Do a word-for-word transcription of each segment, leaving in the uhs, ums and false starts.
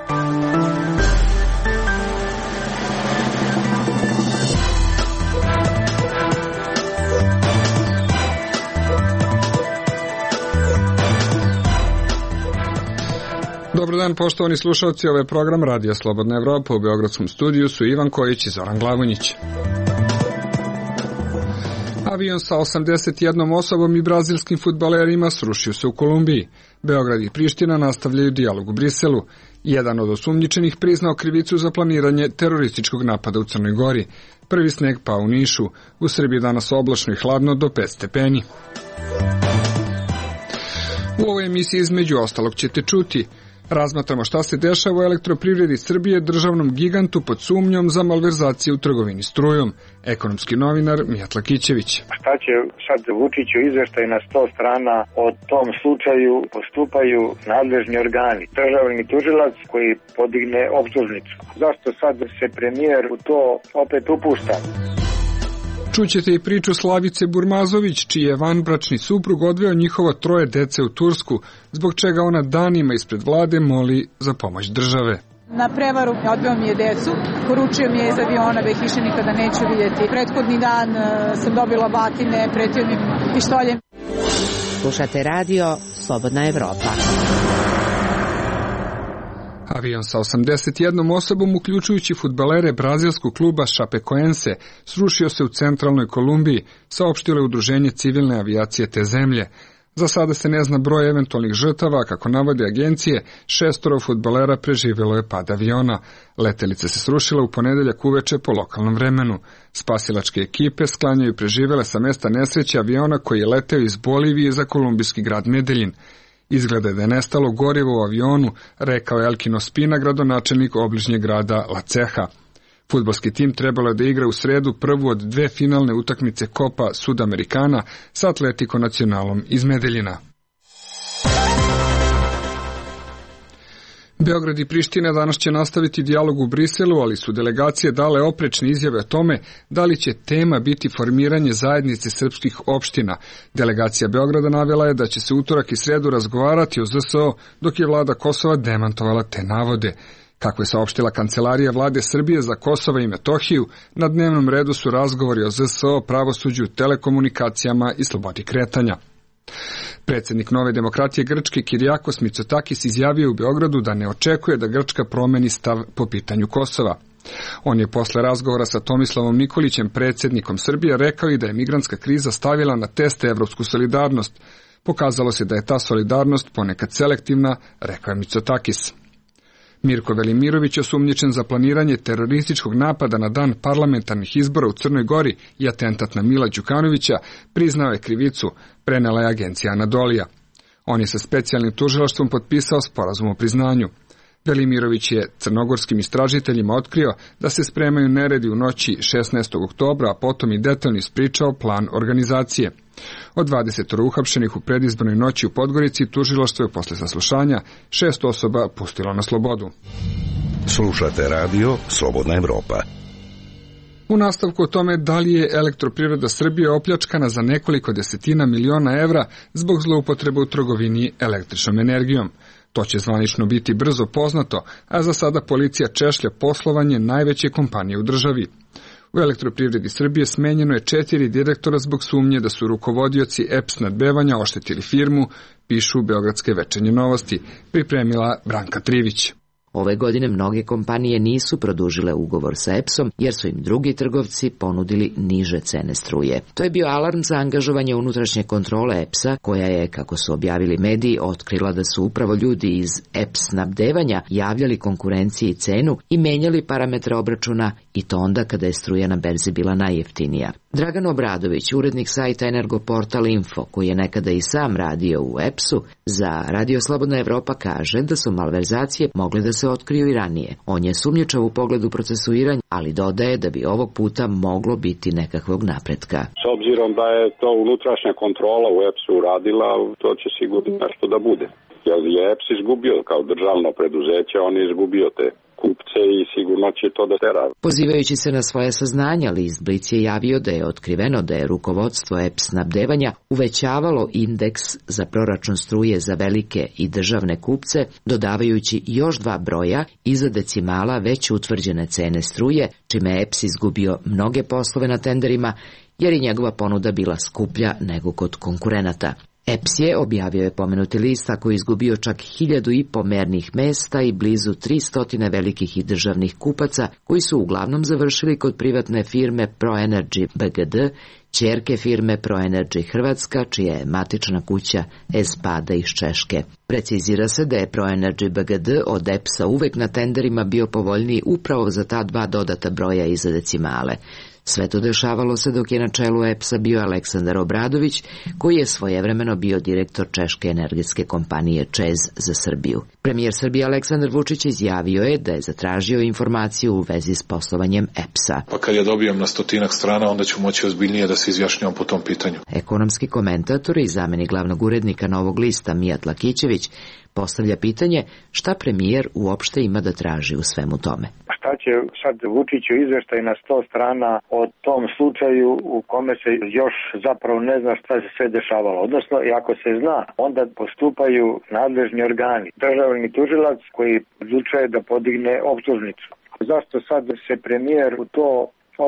Dobar dan, poštovani slušalci, ovo je program Radija Slobodna Evropa. U beogradskom studiju su Ivan Kojić i Zoran Glavonjić. Avion sa osamdeset jednom osobom i brazilskim fudbalerima srušio se u Kolumbiji. Beograd i Priština nastavljaju dijalog u Briselu. Jedan od osumnjičenih priznao krivicu za planiranje terorističkog napada u Crnoj Gori. Prvi sneg pao u Nišu. U Srbiji danas oblačno i hladno do pet stepeni. U ovoj emisiji između ostalog ćete čuti: razmatramo šta se dešava u Elektroprivredi Srbije, državnom gigantu pod sumnjom za malverzacije u trgovini strujom. Ekonomski novinar Mijatla Kićević. Šta će sad Vučiću izveštaj na sto strana o tom slučaju postupaju nadležni organi. Državni tužilac koji podigne optužnicu. Zašto sad se premijer u to opet upušta? Čućete i priču Slavice Burmazović, čiji je vanbračni suprug odveo njihovo troje dece u Tursku, zbog čega ona danima ispred vlade moli za pomoć države. Na prevaru odveo mi je decu, poručio mi je iz aviona da ih više nikada neću vidjeti. Prethodni dan sam dobila batine, pretio mi pištoljem. Slušate radio Slobodna Evropa. Avion sa osamdeset jednom osobom, uključujući fudbalere brazilskog kluba Chapecoense, srušio se u centralnoj Kolumbiji, saopštilo je Udruženje civilne avijacije te zemlje. Za sada se ne zna broj eventualnih žrtava, kako navode agencije, šestoro fudbalera preživjelo je pad aviona. Letelica se srušila u ponedeljak uveče po lokalnom vremenu. Spasilačke ekipe sklanjaju preživjele sa mesta nesreće aviona koji je leteo iz Bolivije za kolumbijski grad Medelin. Izgleda da je nestalo gorivo u avionu, rekao je Elkino Spina, gradonačelnik obližnjeg grada La Ceha. Fudbalski tim trebalo je da igra u sredu prvu od dve finalne utakmice Copa Sudamericana sa Atletico Nacionalom iz Medeljina. Beograd i Priština danas će nastaviti dijalog u Briselu, ali su delegacije dale oprečne izjave o tome da li će tema biti formiranje zajednice srpskih opština. Delegacija Beograda navela je da će se utorak i sredu razgovarati o Z S O, dok je vlada Kosova demantovala te navode. Kako je saopštila Kancelarija vlade Srbije za Kosovo i Metohiju, na dnevnom redu su razgovori o Z S O, pravosuđu, telekomunikacijama i slobodi kretanja. Predsjednik Nove demokratije Grčke Kirijakos Mitsotakis izjavio u Beogradu da ne očekuje da Grčka promeni stav po pitanju Kosova. On je posle razgovora sa Tomislavom Nikolićem, predsjednikom Srbije, rekao i da je migrantska kriza stavila na teste evropsku solidarnost. Pokazalo se da je ta solidarnost ponekad selektivna, rekao je Mitsotakis. Mirko Velimirović, osumnjičen za planiranje terorističkog napada na dan parlamentarnih izbora u Crnoj Gori i atentat na Mila Đukanovića, priznao je krivicu, prenela je agencija Anadolija. On je sa specijalnim tužilaštvom potpisao sporazum o priznanju. Velimirović je crnogorskim istražiteljima otkrio da se spremaju neredi u noći šesnaestog oktobra, a potom i detaljno ispričao plan organizacije. Od dvadeset uhapšenih u predizbornoj noći u Podgorici, tužilaštvo je posle saslušanja šest osoba pustilo na slobodu. Slušate radio Slobodna Evropa. U nastavku o tome da li je Elektroprivreda Srbije opljačkana za nekoliko desetina miliona evra zbog zloupotrebe u trgovini električnom energijom. To će zvanično biti brzo poznato, a za sada policija češlja poslovanje najveće kompanije u državi. U Elektroprivredi Srbije smenjeno je četiri direktora zbog sumnje da su rukovodioci E P S snadbevanja oštetili firmu, pišu Beogradske večernje novosti, pripremila Branka Trivić. Ove godine mnoge kompanije nisu produžile ugovor sa E P S-om jer su im drugi trgovci ponudili niže cene struje. To je bio alarm za angažovanje unutrašnje kontrole E P S-a, koja je, kako su objavili mediji, otkrila da su upravo ljudi iz E P S snabdevanja javljali konkurenciji cenu i menjali parametre obračuna, i to onda kada je struja na berzi bila najjeftinija. Dragan Obradović, urednik sajta Energoportal Info, koji je nekada i sam radio u E P S-u, za Radio Slobodna Evropa kaže da su malverzacije mogle da se otkriju i ranije. On je sumnjičav u pogledu procesuiranja, ali dodaje da bi ovog puta moglo biti nekakvog napretka. S obzirom da je to unutrašnja kontrola u E P S-u uradila, to će sigurno nešto da bude. Jer je E P S izgubio kao državno preduzeće, on je izgubio te kupce i sigurno će to da tera. Pozivajući se na svoje saznanja, list Blic je javio da je otkriveno da je rukovodstvo E P S snabdevanja uvećavalo indeks za proračun struje za velike i državne kupce, dodavajući još dva broja iza decimala već utvrđene cene struje, čime je E P S izgubio mnoge poslove na tenderima, jer je njegova ponuda bila skuplja nego kod konkurenata. E P S je, objavio je pomenuti list, tako izgubio čak hiljadu i po mernih mesta i blizu tristotine velikih i državnih kupaca, koji su uglavnom završili kod privatne firme ProEnergy B G D, ćerke firme ProEnergy Hrvatska, čija je matična kuća Espada iz Češke. Precizira se da je ProEnergy B G D od E P S-a uvek na tenderima bio povoljniji upravo za ta dva dodata broja iza decimale. Sve to dešavalo se dok je na čelu E P S-a bio Aleksandar Obradović, koji je svojevremeno bio direktor češke energetske kompanije ČEZ za Srbiju. Premijer Srbije Aleksandar Vučić izjavio je da je zatražio informaciju u vezi s poslovanjem E P S-a. Pa kad je dobijem na stotinak strana, onda ću moći ozbiljnije da se izjašnjavam po tom pitanju. Ekonomski komentator i zamenik glavnog urednika Novog lista Mijat Lakićević postavlja pitanje šta premijer uopšte ima da traži u svemu tome. Šta će sad Vučiću izveštaj na sto strana o tom slučaju u kome se još zapravo ne zna šta se sve dešavalo. Odnosno, i ako se zna, onda postupaju nadležni organi. Državni tužilac koji odlučuje da podigne optužnicu. Zašto sad se premijer u to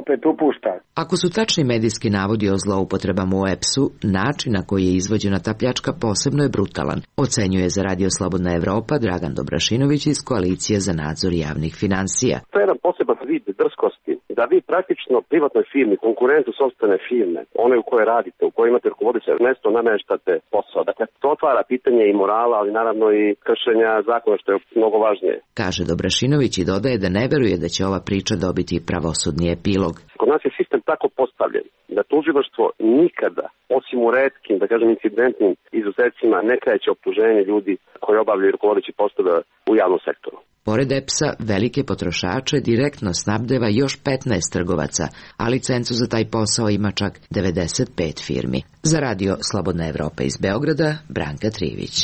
opet upušta? Ako su tačni medijski navodi o zloupotrebama u E P S-u, način na koji je izvođena ta pljačka posebno je brutalan, ocenjuje za Radio Slobodna Evropa Dragan Dobrašinović iz Koalicije za nadzor javnih finansija. To je jedan poseban vid drskosti, da vi praktično privatnoj firmi, konkurentu sopstvene firme, one u kojoj radite, u kojoj imate rukovodeće mesto, nameštate posao. Dakle, to otvara pitanje i morala, ali naravno i kršenja zakona, što je mnogo važnije. Kaže Dobrašinović i dodaje da ne veruje da će ova priča dobiti pravosudni epilog. Kod nas je sistem tako postavljen da tužilaštvo nikada, osim u retkim, da kažem incidentnim izuzecima, ne kreće optuženje ljudi koji obavljaju rukovodeći poslove u javnom sektoru. Pored E P S-a, velike potrošače direktno snabdeva još petnaest trgovaca, a licencu za taj posao ima čak devedeset pet firmi. Za Radio Slobodna Evropa iz Beograda, Branka Trivić.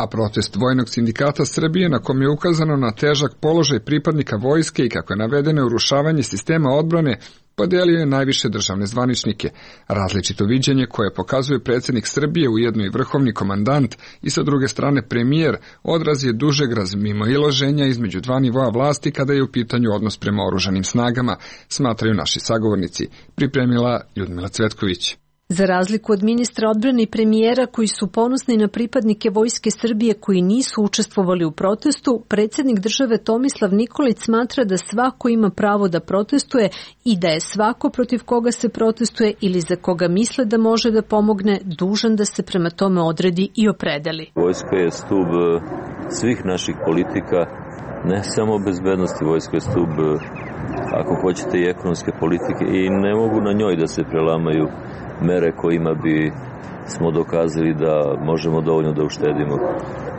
A protest Vojnog sindikata Srbije, na kom je ukazano na težak položaj pripadnika vojske i kako je navedeno urušavanje sistema odbrane, podelio je najviše državne zvaničnike. Različito viđenje koje pokazuje predsjednik Srbije, ujedno i vrhovni komandant i sa druge strane premijer, odraz je dužeg razmimoilaženja između dva nivoa vlasti kada je u pitanju odnos prema oružanim snagama, smatraju naši sagovornici, pripremila Ljudmila Cvetković. Za razliku od ministra odbrane i premijera koji su ponosni na pripadnike Vojske Srbije koji nisu učestvovali u protestu, predsjednik države Tomislav Nikolić smatra da svako ima pravo da protestuje i da je svako protiv koga se protestuje ili za koga misle da može da pomogne dužan da se prema tome odredi i opredeli. Vojska je stub svih naših politika, ne samo bezbednosti, vojska je stub, ako hoćete, i ekonomske politike i ne mogu na njoj da se prelamaju mere kojima bi smo dokazali da možemo dovoljno da uštedimo.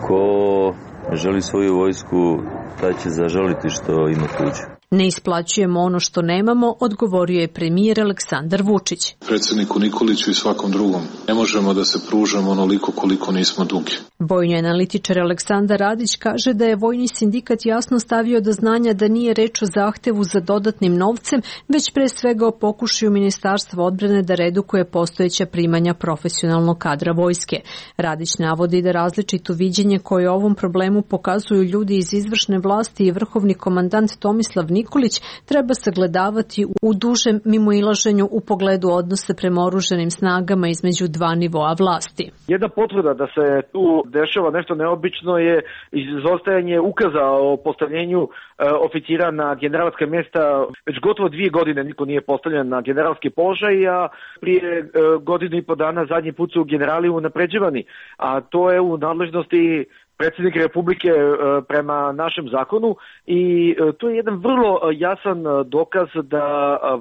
Ko želi svoju vojsku, taj će zažaliti što ima tuđu. Ne isplaćujemo ono što nemamo, odgovorio je premijer Aleksandar Vučić. Predsjedniku Nikoliću i svakom drugom. Ne možemo da se pružamo onoliko koliko nismo dugi. Vojni analitičar Aleksandar Radić kaže da je Vojni sindikat jasno stavio do znanja da nije reč o zahtevu za dodatnim novcem, već pre svega o pokušaju Ministarstva odbrane da redukuje postojeća primanja profesionalnog kadra vojske. Radić navodi da različito viđenje koje o ovom problemu pokazuju ljudi iz izvršne vlasti i vrhovni komandant Tomislav Nikolić treba sagledavati u dužem mimoilaženju u pogledu odnosa prema oružanim snagama između dva nivoa vlasti. Jedna potvrda da se tu dešava nešto neobično je izostajanje ukaza o postavljenju e, oficira na generalska mjesta. Već gotovo dvije godine niko nije postavljen na generalski položaj, a prije e, godinu i po dana zadnji put su generali unapređivani, a to je u nadležnosti predsjednik Republike prema našem zakonu i to je jedan vrlo jasan dokaz da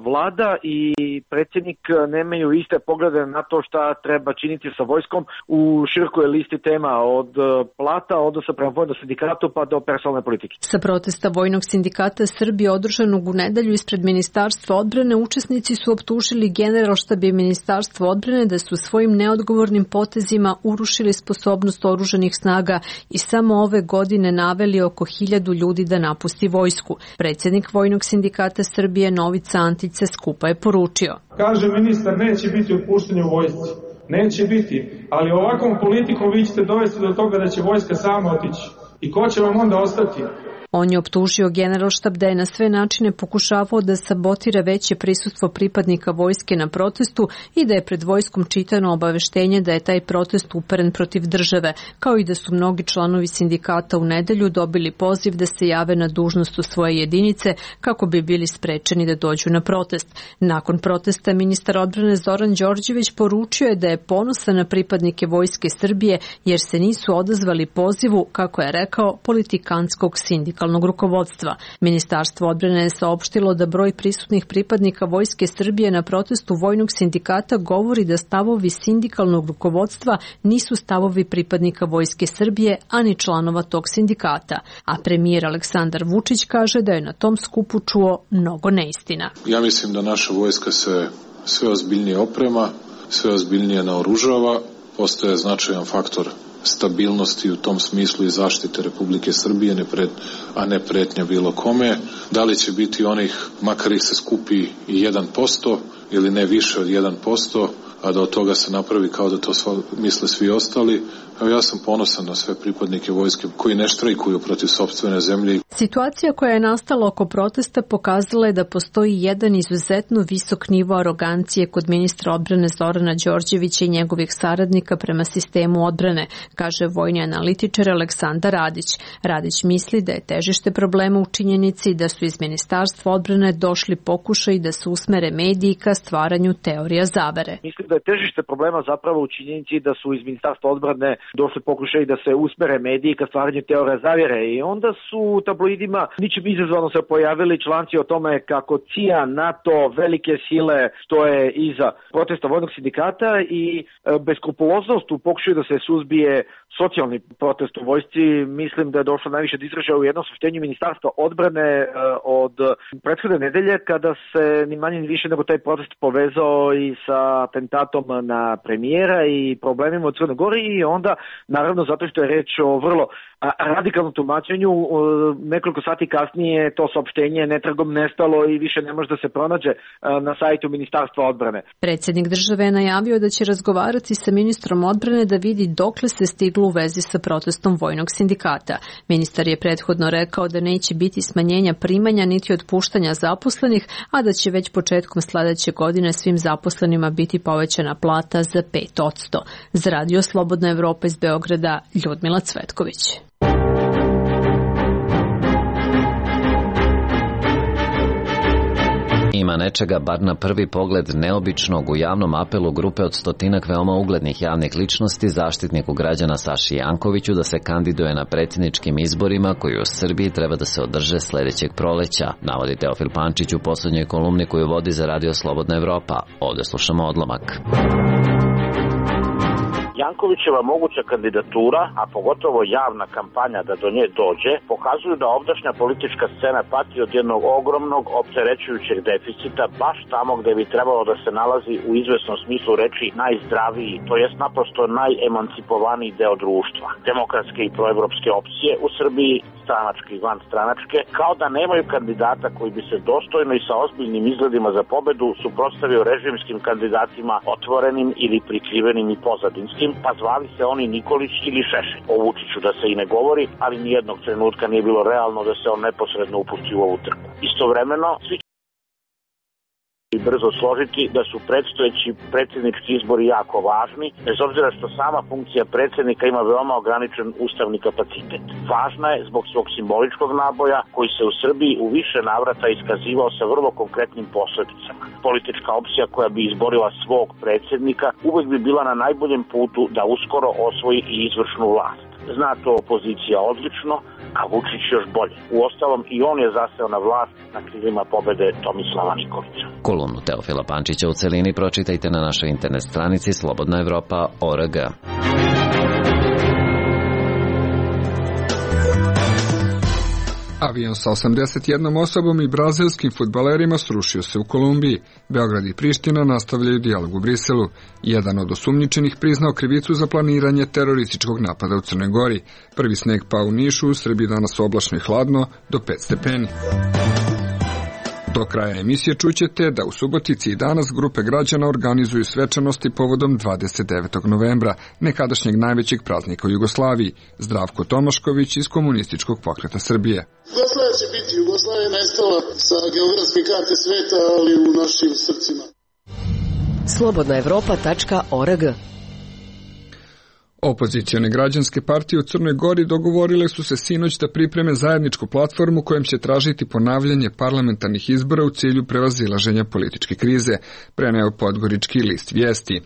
vlada i predsjednik nemaju iste poglede na to šta treba činiti sa vojskom u širokoj listi tema od plata, odnosa prema vojnom sindikatu pa do personalne politike. Sa protesta Vojnog sindikata Srbije održanog u nedelju ispred Ministarstva odbrane, učesnici su optužili Generalštab i Ministarstvo odbrane da su svojim neodgovornim potezima urušili sposobnost oružanih snaga i samo ove godine naveli oko hiljadu ljudi da napusti vojsku. Predsjednik Vojnog sindikata Srbije Novica Antić sa skupa je poručio. Kaže ministar, neće biti otpuštanja u vojsci. Neće biti, ali ovakvom politikom vi ćete dovesti do toga da će vojska sama otići. I ko će vam onda ostati? On je optužio Generalštab da je na sve načine pokušavao da sabotira veće prisustvo pripadnika vojske na protestu i da je pred vojskom čitano obaveštenje da je taj protest uperen protiv države, kao i da su mnogi članovi sindikata u nedelju dobili poziv da se jave na dužnost u svoje jedinice kako bi bili sprečeni da dođu na protest. Nakon protesta ministar odbrane Zoran Đorđević poručio je da je ponosan na pripadnike Vojske Srbije jer se nisu odazvali pozivu, kako je rekao, politikantskog sindikata rukovodstva. Ministarstvo odbrane je saopštilo da broj prisutnih pripadnika Vojske Srbije na protestu Vojnog sindikata govori da stavovi sindikalnog rukovodstva nisu stavovi pripadnika Vojske Srbije, ani članova tog sindikata. A premijer Aleksandar Vučić kaže da je na tom skupu čuo mnogo neistina. Ja mislim da naša vojska se sve ozbiljnije oprema, sve ozbiljnije naoružava, postaje značajan faktor stabilnosti u tom smislu i zaštite Republike Srbije, ne pred, a ne pretnja bilo kome. Da li će biti onih, makar ih se skupi i jedan posto ili ne više od jedan posto, a da od toga se napravi kao da to misle svi ostali. Evo, ja sam ponosan na sve pripadnike vojske koji ne štrajkuju protiv sopstvene zemlje. Situacija koja je nastala oko protesta pokazala je da postoji jedan izuzetno visok nivo arogancije kod ministra odbrane Zorana Đorđevića i njegovih saradnika prema sistemu odbrane, kaže vojni analitičar Aleksandar Radić. Radić misli da je težište problema u činjenici da su iz Ministarstva odbrane došli pokušaji da se usmere mediji ka stvaranju teorija zavere. Mislim da je težište problema zapravo u činjenici da su iz Ministarstva odbrane došli pokušaji da se usmere mediji ka stvaranju teorija zavjere i onda su u tabloidima ničim izazvano se pojavili članci o tome kako C I A, NATO, velike sile stoje iza protesta Vojnog sindikata i beskrupuloznost u pokušaju da se suzbije socijalni protest u vojsci. Mislim da je došlo najviše do izražaja u jednom saopštenju Ministarstva odbrane od prethodne nedelje kada se ni manje ni više nego taj protest povezao i sa atentatom na premijera i problemima u Crnoj Gori i onda naravno zato što je reč o vrlo radikalnom tumačenju, nekoliko sati kasnije to saopštenje netragom nestalo i više ne može da se pronađe na sajtu Ministarstva odbrane. Predsjednik države je najavio da će razgovarati sa ministrom odbrane da vidi dokle se stiglo u vezi sa protestom Vojnog sindikata. Ministar je prethodno rekao da neće biti smanjenja primanja niti otpuštanja zaposlenih, a da će već početkom sledeće godine svim zaposlenima biti povećana plata za pet posto. Za Radio Slobodna Evropa iz Beograda, Ljudmila Cvetković. Ima nečega, bar na prvi pogled, neobičnog u javnom apelu grupe od stotinak veoma uglednih javnih ličnosti zaštitniku građana Saši Jankoviću da se kandiduje na predsjedničkim izborima koji u Srbiji treba da se održe sledećeg proleća, navodi Teofil Pančić u poslednjoj kolumni koju vodi za Radio Slobodna Evropa. Ovde slušamo odlomak. Jankovićeva moguća kandidatura, a pogotovo javna kampanja da do nje dođe, pokazuju da ovdašnja politička scena pati od jednog ogromnog opterećujućeg deficita baš tamo gde bi trebalo da se nalazi u izvesnom smislu reči najzdraviji, to jest naprosto najemancipovaniji deo društva. Demokratske i proevropske opcije u Srbiji, stranačke i vanstranačke, kao da nemaju kandidata koji bi se dostojno i sa ozbiljnim izgledima za pobedu suprotstavio režimskim kandidatima otvorenim ili prikrivenim i pozadinskim, pa zvali se oni Nikolić ili Šešelj. O Vučiću da se i ne govori, ali nijednog trenutka nije bilo realno da se on neposredno upusti u ovu trku. Istovremeno, svi i brzo složiti da su predstojeći predsjednički izbori jako važni, bez obzira što sama funkcija predsjednika ima veoma ograničen ustavni kapacitet. Važna je zbog svog simboličkog naboja koji se u Srbiji u više navrata iskazivao sa vrlo konkretnim posledicama. Politička opcija koja bi izborila svog predsjednika uvek bi bila na najboljem putu da uskoro osvoji i izvršnu vlast. Zna to opozicija odlično, a Vučić još bolje. Uostalom i on je zaseo na vlast na krilima pobede Tomislava Nikolića. Kolumnu Teofila Pančića u celini pročitajte na našoj internet stranici slobodna evropa tačka org. Avion sa osamdeset jednom osobom i brazilskim fudbalerima srušio se u Kolumbiji. Beograd i Priština nastavljaju dijalog u Briselu. Jedan od osumnjičenih priznao krivicu za planiranje terorističkog napada u Crnoj Gori. Prvi sneg pao u Nišu, u Srbiji danas oblačno i hladno, do pet stepeni. Do kraja emisije čućete da u Subotici i danas grupe građana organizuju svečanosti povodom dvadeset devetog novembra, nekadašnjeg najvećeg praznika u Jugoslaviji. Zdravko Tomašković iz Komunističkog pokreta Srbije. Jugoslavija će biti. Jugoslavija je nestala sa geografske karte sveta, ali u našim srcima. slobodna evropa tačka org. Opozicione građanske partije u Crnoj Gori dogovorile su se sinoć da pripreme zajedničku platformu kojom će tražiti ponavljanje parlamentarnih izbora u cilju prevazilaženja političke krize, preneo Podgorički list Vijesti.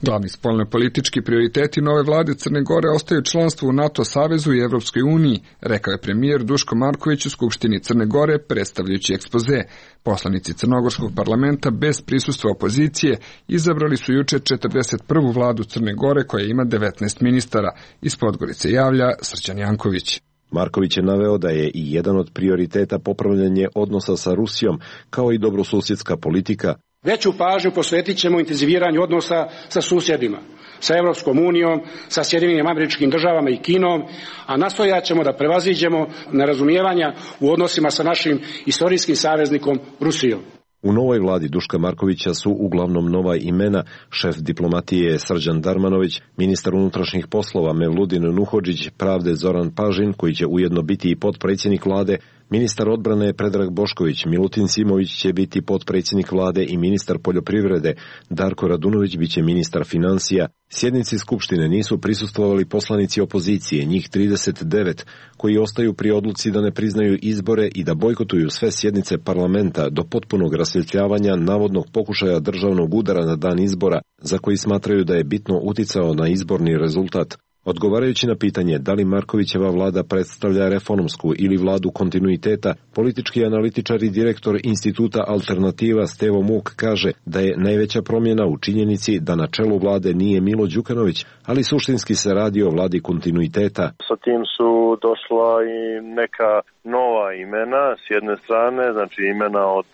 Glavni spoljnopolitički prioriteti nove vlade Crne Gore ostaju članstvo u NATO savezu i Evropskoj uniji, rekao je premijer Duško Marković u Skupštini Crne Gore predstavljajući ekspoze. Poslanici Crnogorskog parlamenta bez prisustva opozicije izabrali su juče četrdeset prvu vladu Crne Gore koja ima devetnaest ministara. Iz Podgorice javlja Srđan Janković. Marković je naveo da je i jedan od prioriteta popravljanje odnosa sa Rusijom, kao i dobrosusjedska politika. Veću pažnju posvetit ćemo intenziviranju odnosa sa susjedima, sa Evropskom unijom, sa Sjedinjenim Američkim Državama i Kinom, a nastojat ćemo da prevaziđemo nerazumijevanja u odnosima sa našim istorijskim saveznikom Rusijom. U novoj vladi Duška Markovića su uglavnom nova imena, šef diplomatije Srđan Darmanović, ministar unutrašnjih poslova Mevludin Nuhodžić, pravde Zoran Pažin, koji će ujedno biti i potpredsjednik vlade, ministar odbrane Predrag Bošković, Milutin Simović će biti potpredsjednik vlade i ministar poljoprivrede, Darko Radunović biće ministar financija. Sjednici Skupštine nisu prisustvovali poslanici opozicije, njih trideset devet, koji ostaju pri odluci da ne priznaju izbore i da bojkotuju sve sjednice parlamenta do potpunog rasvjetljavanja navodnog pokušaja državnog udara na dan izbora, za koji smatraju da je bitno uticao na izborni rezultat. Odgovarajući na pitanje da li Markovićeva vlada predstavlja reformsku ili vladu kontinuiteta, politički analitičar i direktor instituta Alternativa Stevo Muk kaže da je najveća promjena u činjenici da na čelu vlade nije Milo Đukanović, ali suštinski se radi o vladi kontinuiteta. Sa tim su došla i neka nova imena, s jedne strane, znači imena od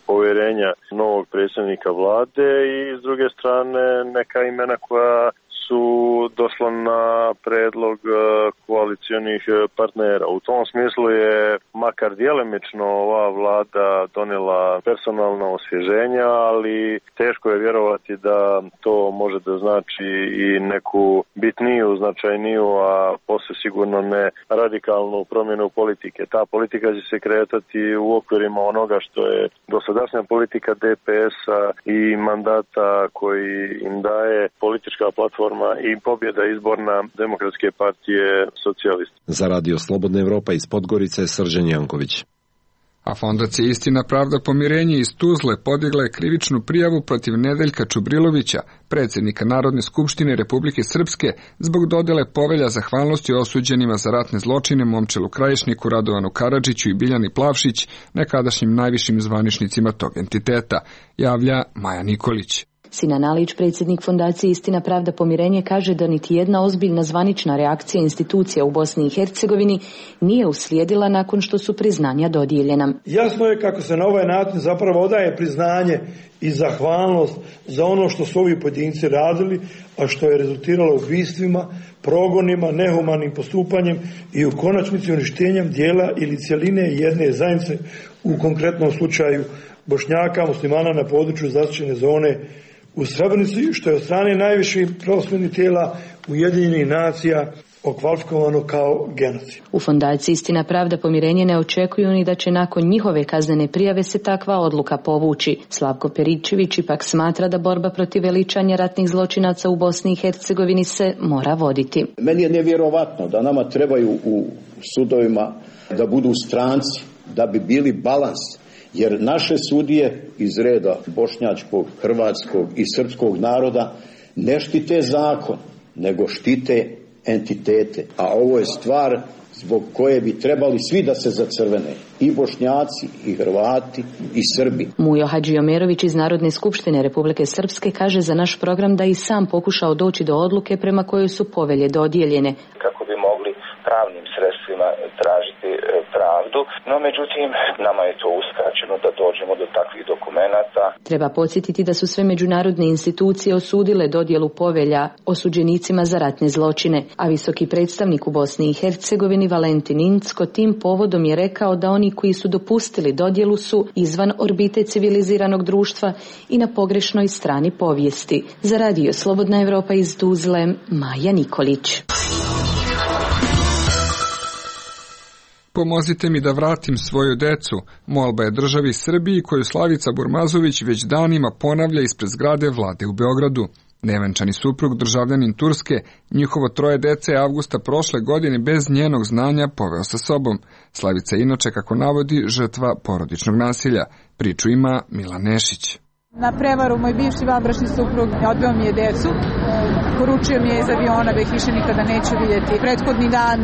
povjerenja novog predsjednika vlade i s druge strane neka imena koja su došla na predlog koalicijonih partnera. U tom smislu je makar djelimično ova vlada donijela personalna osvježenja, ali teško je vjerovati da to može da znači i neku bitniju, značajniju, a posle sigurno ne radikalnu promjenu politike. Ta politika će se kretati u okvirima onoga što je dosadašnja politika D P S-a i mandata koji im daje politička platforma i pobjeda izborna Demokratske partije socijalista. Za radio Slobodna Evropa iz Podgorice, Srđan Janković. A Fondacija Istina, pravda, pomirenje iz Tuzle podigla je krivičnu prijavu protiv Nedeljka Čubrilovića, predsjednika Narodne skupštine Republike Srpske, zbog dodele povelja zahvalnosti osuđenima za ratne zločine Momčilu Krajišniku, Radovanu Karadžiću i Biljani Plavšić, nekadašnjim najvišim zvaničnicima tog entiteta, javlja Maja Nikolić. Sinan Alić, predsjednik Fondacije Istina, pravda, pomirenje, kaže da niti jedna ozbiljna zvanična reakcija institucija u Bosni i Hercegovini nije uslijedila nakon što su priznanja dodijeljena. Jasno je kako se na ovaj način zapravo odaje priznanje i zahvalnost za ono što su ovi pojedinci radili, a što je rezultiralo ubistvima, progonima, nehumanim postupanjem i u konačnici uništenjem dijela ili cjeline jedne zajednice, u konkretnom slučaju Bošnjaka, muslimana na području zaštićene zone u Srebrenici, što je od strane najviših pravosudnih tijela Ujedinjenih nacija okvalifikovano kao genocid. U Fondaciji Istina, pravda, pomirenje ne očekuju ni da će nakon njihove kaznene prijave se takva odluka povući. Slavko Peričević ipak smatra da borba protiv veličanja ratnih zločinaca u Bosni i Hercegovini se mora voditi. Meni je nevjerovatno da nama trebaju u sudovima da budu stranci, da bi bili balans. Jer naše sudije iz reda bošnjačkog, hrvatskog i srpskog naroda ne štite zakon, nego štite entitete. A ovo je stvar zbog koje bi trebali svi da se zacrvene. I Bošnjaci, i Hrvati, i Srbi. Mujo Hadžiomerović iz Narodne skupštine Republike Srpske kaže za naš program da i sam pokušao doći do odluke prema kojoj su povelje dodijeljene. Kako bi mogli pravnim sredstvima tražiti pravdu, no međutim nama je to uskraćeno da dođemo do takvih dokumenata. Treba podsjetiti da su sve međunarodne institucije osudile dodjelu povelja osuđenicima za ratne zločine, a visoki predstavnik u Bosni i Hercegovini Valentin Incko tim povodom je rekao da oni koji su dopustili dodjelu su izvan orbite civiliziranog društva i na pogrešnoj strani povijesti. Za radio Slobodna Evropa iz Tuzle, Maja Nikolić. Pomozite mi da vratim svoju decu, molba je državi Srbiji koju Slavica Burmazović već danima ponavlja ispred zgrade vlade u Beogradu. Nevenčani suprug, državljanin Turske, njihovo troje dece je avgusta prošle godine bez njenog znanja poveo sa sobom. Slavica je inače, kako navodi, žrtva porodičnog nasilja. Priču ima Milan Nešić. Na prevaru moj bivši vanbračni suprug odveo mi je decu. Poručio mi je iz aviona da ih više nikada neću vidjeti. Prethodni dan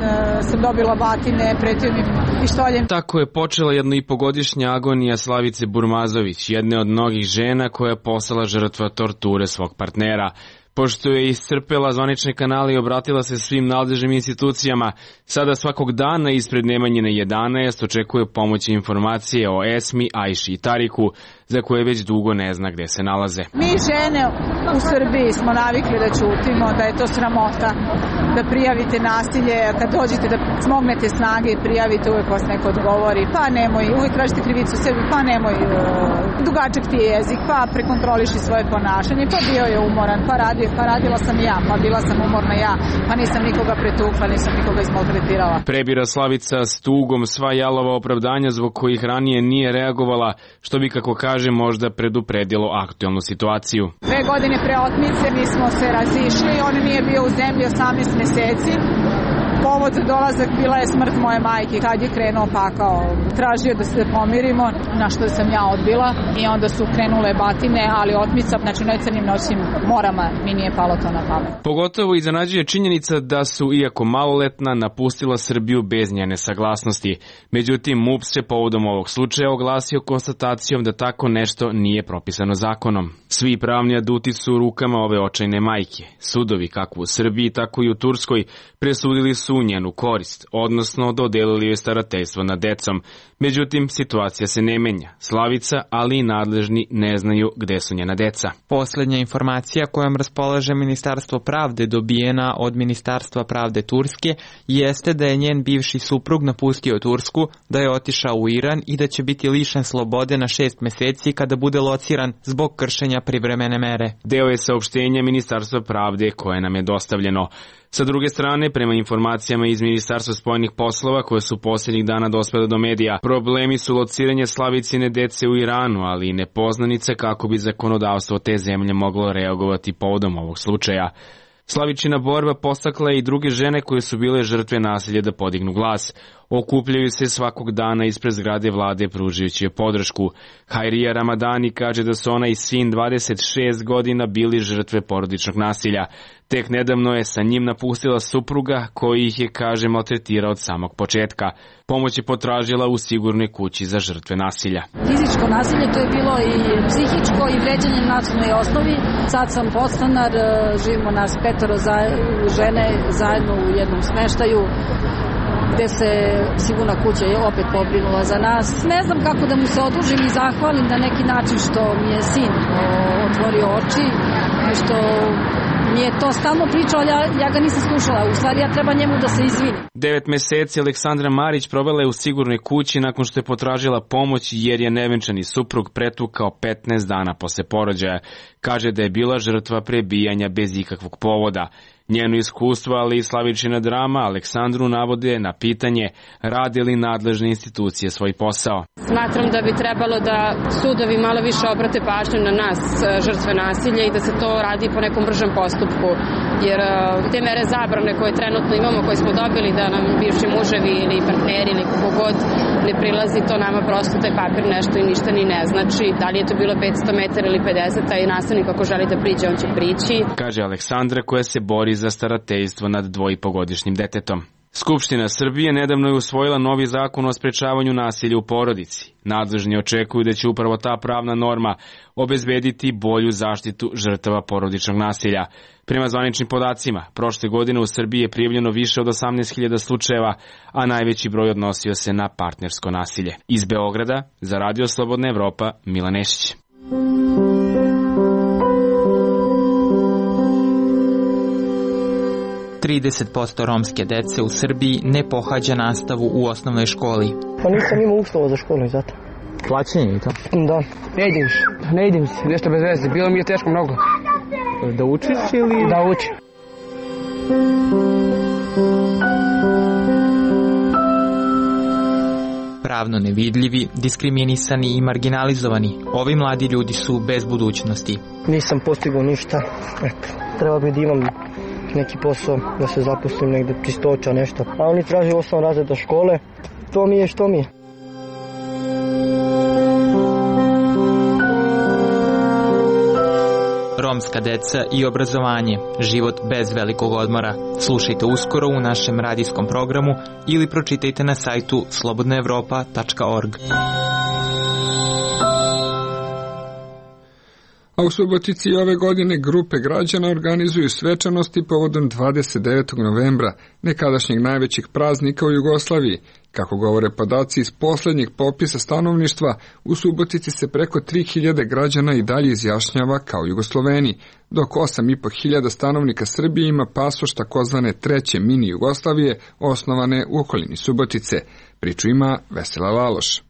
sam dobila batine, pretio mi pištoljem. Tako je počela jednoipogodišnja agonija Slavice Burmazović, jedne od mnogih žena koja je postala žrtva torture svog partnera. Pošto je iscrpela zvanične kanale i obratila se svim nadležnim institucijama, sada svakog dana ispred Nemanjine jedanaest očekuje pomoć i informacije o Esmi, Ajši i Tariku, za koje već dugo ne zna gde se nalaze. Mi žene u Srbiji smo navikli da ćutimo, da je to sramota, da prijavite nasilje, kad dođete da smognete snage i prijavite, uvek vas neko odgovori, pa nemoj, uvek tražite krivicu sebi, pa nemoj, dugačak ti je jezik, pa prekontroliši svoje ponašanje, pa bio je umoran, pa radio, pa radila sam ja, pa bila sam umorna ja, pa nisam nikoga pretukla, nisam nikoga izmaltretirala. Prebira Slavica s tugom sva jalova opravdanja zbog kojih ranije nije reagovala, što bi, kako kaže, možda predupredilo aktualnu situaciju. Dve godine pre otmice mi smo se razišli, on nije bio u zemlji osamnaest meseci. Povod za dolazak bila je smrt moje majke, kad je krenuo pakao. Tražio da se pomirimo, na što sam ja odbila i onda su krenule batine, ali otmica, znači na crnim noćnim morama mi nije palo to na pamet. Pogotovo iznenađuje činjenica da su, iako maloletna, napustila Srbiju bez njene saglasnosti. Međutim, M U P se povodom ovog slučaja oglasio konstatacijom da tako nešto nije propisano zakonom. Svi pravni aduti su u rukama ove očajne majke. Sudovi, kako u Srbiji, tako i u Turskoj, presudili su u njenu korist, odnosno dodelili joj starateljstvo nad decom. Međutim, situacija se ne menja. Slavica, ali i nadležni ne znaju gde su njena deca. Poslednja informacija kojom raspolaže Ministarstvo pravde dobijena od Ministarstva pravde Turske jeste da je njen bivši suprug napustio Tursku, da je otišao u Iran i da će biti lišen slobode na šest meseci kada bude lociran zbog kršenja privremene mere. Deo je saopštenja Ministarstva pravde koje nam je dostavljeno. Sa druge strane, prema informacijama iz Ministarstva spoljnih poslova koje su posljednjih dana dospele do medija, problemi su lociranje Slavicine dece u Iranu, ali i nepoznanice kako bi zakonodavstvo te zemlje moglo reagovati povodom ovog slučaja. Slavičina borba postakla je i druge žene koje su bile žrtve nasilja da podignu glas. Okupljaju se svakog dana ispred zgrade vlade pružajući joj podršku. Hajrija Ramadani kaže da su ona i sin dvadeset šest godina bili žrtve porodičnog nasilja. Tek nedavno je sa njim napustila supruga koji ih je, kaže, maltretirao od samog početka. Pomoć je potražila u sigurnoj kući za žrtve nasilja. Fizičko nasilje, to je bilo i psihičko i vređanje na nacionalnoj osnovi. Sad sam podstanar, živimo nas petoro za, žene zajedno u jednom smeštaju, gde se sigurna kuća je opet pobrinula za nas. Ne znam kako da mu se odužim i zahvalim na neki način što mi je sin otvorio oči i što mi je to stalno pričao, ali ja, ja ga nisam slušala. U stvari ja treba njemu da se izvinim. Devet meseci Aleksandra Marić provela je u sigurnoj kući nakon što je potražila pomoć jer je nevenčani suprug pretukao petnaest dana posle porođaja. Kaže da je bila žrtva prebijanja bez ikakvog povoda. Njeno iskustvo, ali i Slavičina drama Aleksandru navode na pitanje rade li nadležne institucije svoj posao. Smatram da bi trebalo da sudovi malo više obrate pažnju na nas, žrtve nasilja, i da se to radi po nekom bržem postupku. Jer te mere zabrane koje trenutno imamo, koje smo dobili da nam bivši muževi ili partneri ili kako god ne prilazi, to nama prosto taj papir nešto i ništa ni ne znači. Da li je to bilo petsto metara ili pedeset, a i nastavnik ako želi da priđe, on će prići. Kaže Aleksandra koja se bori za starateljstvo nad dvojipogodišnjim detetom. Skupština Srbije nedavno je usvojila novi zakon o sprečavanju nasilja u porodici. Nadležni očekuju da će upravo ta pravna norma obezbediti bolju zaštitu žrtava porodičnog nasilja. Prema zvaničnim podacima, prošle godine u Srbiji je prijavljeno više od osamnaest hiljada slučajeva, a najveći broj odnosio se na partnersko nasilje. Iz Beograda, za Radio Slobodna Evropa, Milan Nešić. trideset posto romske dece u Srbiji ne pohađa nastavu u osnovnoj školi. Pa nisam imao uslova za školu i zato. Plaćanje i to? Da, ne idem se, ne idem se, nešto bez veze, bilo mi je teško mnogo. Da učiš ili? Da učim. Pravno nevidljivi, diskriminisani i marginalizovani, ovi mladi ljudi su bez budućnosti. Nisam postigao ništa, eto, treba bi da imam neki posao, da se zaposlim negde, čistoća, nešto. A oni traže osam razreda škole, to mi je što mi je. Romska deca i obrazovanje, život bez velikog odmora. Slušajte uskoro u našem radijskom programu ili pročitajte na sajtu slobodna evropa tačka org. A u Subotici ove godine grupe građana organizuju svečanosti povodom dvadeset devetog novembra, nekadašnjeg najvećeg praznika u Jugoslaviji. Kako govore podaci iz poslednjeg popisa stanovništva, u Subotici se preko tri hiljade građana i dalje izjašnjava kao Jugosloveni, dok osam i po hiljada stanovnika Srbije ima pasoš takozvane treće mini Jugoslavije, osnovane u okolini Subotice. Priču ima Vesela Laloš.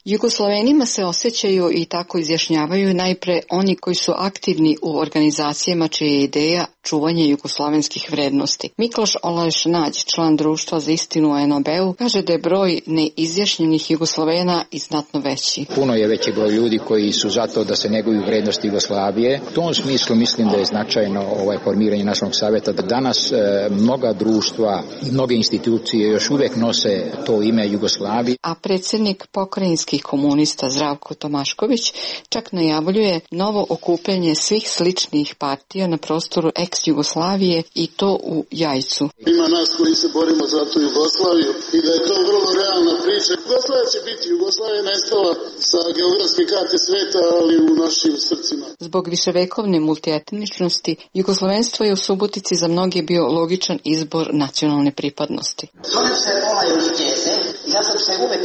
Jugoslovenima se osjećaju i tako izjašnjavaju najpre oni koji su aktivni u organizacijama čija je ideja čuvanje jugoslovenskih vrednosti. Mikloš Olajš Nađ, član društva za istinu u en o be-u, kaže da je broj neizjašnjenih Jugoslovena i znatno veći. Puno je veći broj ljudi koji su zato da se neguju vrednosti Jugoslavije. U tom smislu mislim da je značajno ovaj formiranje nacionalnog saveta, da danas e, mnoga društva i mnoge institucije još uvek nose to ime Jugoslavije. A predsjednik pokrajinskih komunista Zdravko Tomašković čak najavljuje novo okupljanje svih sličnih partija na prostoru ex-Jugoslavije i to u Jajcu. Ima nas koji se borimo za tu Jugoslaviju i da je to vrlo realna priča. Jugoslavija će biti, Jugoslavija nestala sa geografske karte sveta, ali u našim srcima. Zbog viševekovne multietničnosti, jugoslovenstvo je u Subotici za mnoge bio logičan izbor nacionalne pripadnosti. Zovem se Olaj Đeze i ja sam se uvek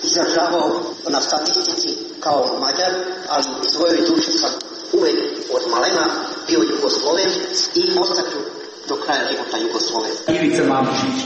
izražavao na statistici kao Mađar, ali u svojoj duši sam uvek od malena bio Jugosloven i ostaću do kraja života Jugosloven. Ivica Mamušić,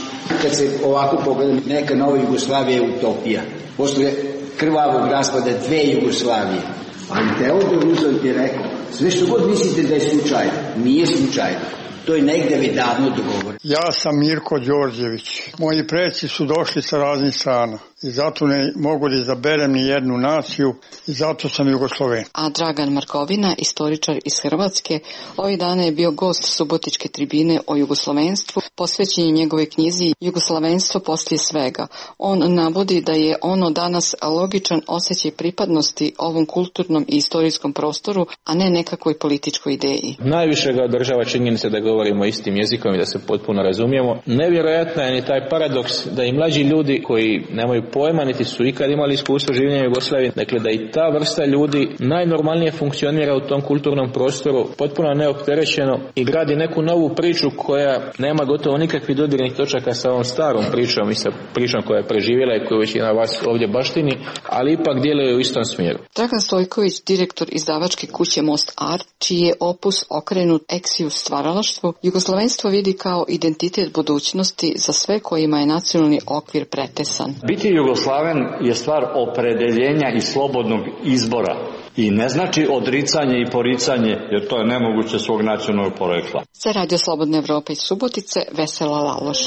kad se ovako pogledam, neka nova Jugoslavija je utopija. Posle krvavog raspada dve Jugoslavije. Ali Teodor Roosevelt je rekao, sve što god mislite da je slučajno, nije slučajno. To je negde već davno dogovor. Ja sam Mirko Đorđević. Moji preci su došli sa raznih strana i zato ne mogu da izaberem ni jednu naciju i zato sam Jugosloven. A Dragan Markovina, istoričar iz Hrvatske, ovih dana je bio gost Subotičke tribine o jugoslovenstvu, posvećen je njegove knjizi Jugoslovenstvo poslije svega. On navodi da je ono danas logičan osjećaj pripadnosti ovom kulturnom i istorijskom prostoru, a ne nekakvoj političkoj ideji. Najviše ga održava činjenica da govorimo istim jezikom i da se potpuno razumijemo. Nevjerojatno je ni taj paradoks da i mlađi ljudi koji nemaju pojma, niti su ikad imali iskustvo življenja u Jugoslaviji, dakle da i ta vrsta ljudi najnormalnije funkcionira u tom kulturnom prostoru, potpuno neopterećeno i gradi neku novu priču koja nema gotovo nikakvih dodirnih točaka sa ovom starom pričom i sa pričom koja je preživjela i koju većina vas ovdje baštini, ali ipak djeluje u istom smjeru. Dragan Stojković, direktor izdavačke kuće Most Art, čiji je opus okrenut eksiju stvaralaštvu, jugoslovenstvo vidi kao identitet budućnosti za sve kojima je nacionalni okvir pretesan. Biti Jugoslaven je stvar opredeljenja i slobodnog izbora i ne znači odricanje i poricanje, jer to je nemoguće svog nacionalnog porekla. Za Radio Slobodne Evrope iz Subotice, Vesela Laloš.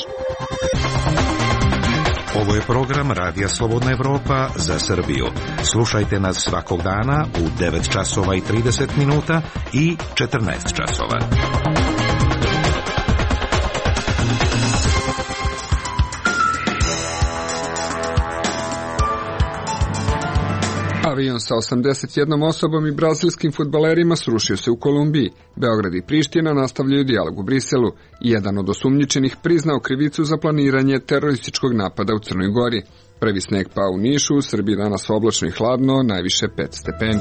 Ovo je program Radija Slobodna Evropa za Srbiju. Slušajte nas svakog dana u devet časova i trideset minuta i četrnaest časova. A Avion sa osamdeset jednom osobom i brazilskim fudbalerima srušio se u Kolumbiji. Beograd i Priština nastavljaju dijalog u Briselu. Jedan od osumnjičenih priznao krivicu za planiranje terorističkog napada u Crnoj Gori. Prvi sneg pao u Nišu, u Srbiji danas oblačno i hladno, najviše pet stepeni.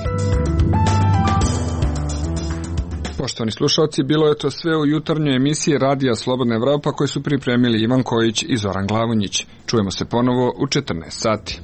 Poštovani slušalci, bilo je to sve u jutarnjoj emisiji Radija Slobodna Evropa koju su pripremili Ivan Kojić i Zoran Glavonjić. Čujemo se ponovo u četrnaest sati.